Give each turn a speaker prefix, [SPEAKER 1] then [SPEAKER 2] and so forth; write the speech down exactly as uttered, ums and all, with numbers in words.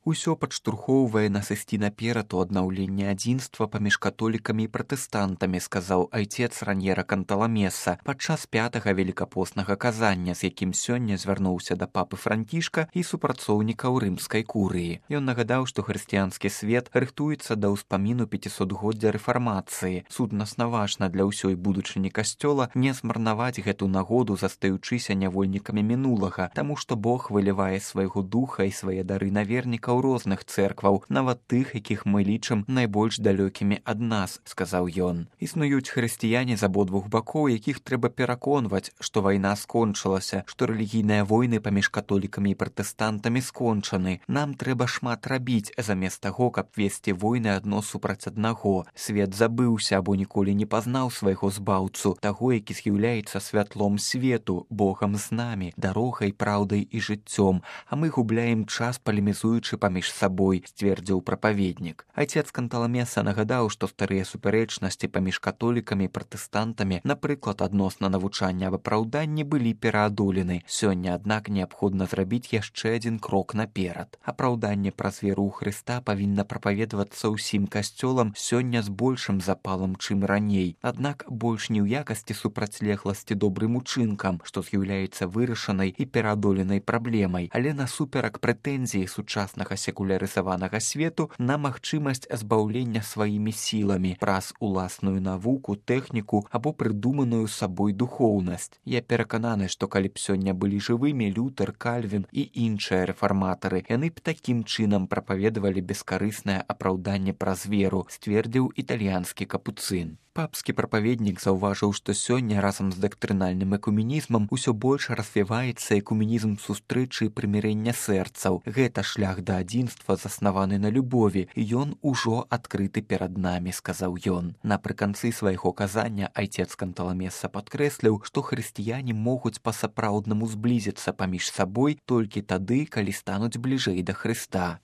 [SPEAKER 1] Усё падштурхоўвае нас ісці наперад у аднаўленне адзінства паміж католікамі і пратэстантамі, сказаў айцец Раньера Канталамеса падчас пятага велікапоснага казання, з якім сёння звярнуўся да папы Францішка і супрацоўнікаў рымскай курыі. Ён нагадаў, што хрысціянскі свет рыхтуецца да ўспаміну пяцісотгоддзя рэфармацыі. Суднасна важна для ўсёй будучыні касцёла не змарнаваць гэту нагоду, застаючыся нявольнікамі мінулага, таму што Бог вылівае свайго духа і свае дары на вернікаў у розных цэркваў, нават тых, якіх мы лічым найбольш далёкімі ад нас, сказаў ён. Існуюць хрысціяне з абодвух бакоў, якіх трэба пераконваць, што вайна скончылася, што рэлігійныя войны паміж католікамі і пратэстантамі скончаны. Нам трэба шмат рабіць, замест таго, каб весці войны адно супраць аднаго. Свет забыўся або ніколі не пазнаў свайго збаўцу, таго, які з'яўляецца святлом свету, Богам з намі, дарогай, праўдай і жыццём, а мы губляем час, палемізуючы паміж сабой, сцвердзіў прапаведнік. Айцец Канталамеса нагадаў, што старыя супярэчнасці паміж католікамі і пратэстантамі, напрыклад, адносна навучання аб апраўданні, былі пераадолены. Сёння, аднак, неабходна зрабіць яшчэ адзін крок наперад. Апраўданне праз веру ў Хрыста павінна прапаведвацца ўсім касцёлам сёння з большым запалам, чым раней. Аднак больш не ў якасці супрацьлегласці добрым учынкам, што з'яўляецца вырашанай і пераадоленай праблемай, але насуперак прэтэнзіі сучаснага секулярызаванага свету на магчымасць збаўлення сваімі сіламі праз уласную навуку, тэхніку або прыдуманую сабой духоўнасць. Я перакананы, што калі б сёння былі жывымі Лютер, Кальвін і іншыя рэфарматары, яны б такім чынам прапаведавалі бескарыснае апраўданне праз веру, сцвердзіў італьянскі капуцын. Папскі прапаведнік заўважыў, што сёння разам з дактрынальным экуменізмам усё больш развіваецца экуменізм сустрэчы і прымірэння сэрцаў. Гэта шлях да адзінства, заснаваны на любові. Ён ужо адкрыты перад намі, сказаў ён. Напрыканцы свайго казання айцец Канталамеса падкрэсліў, што хрысціяне могуць па-сапраўднаму зблізіцца паміж сабой толькі тады, калі стануць бліжэй да Хрыста.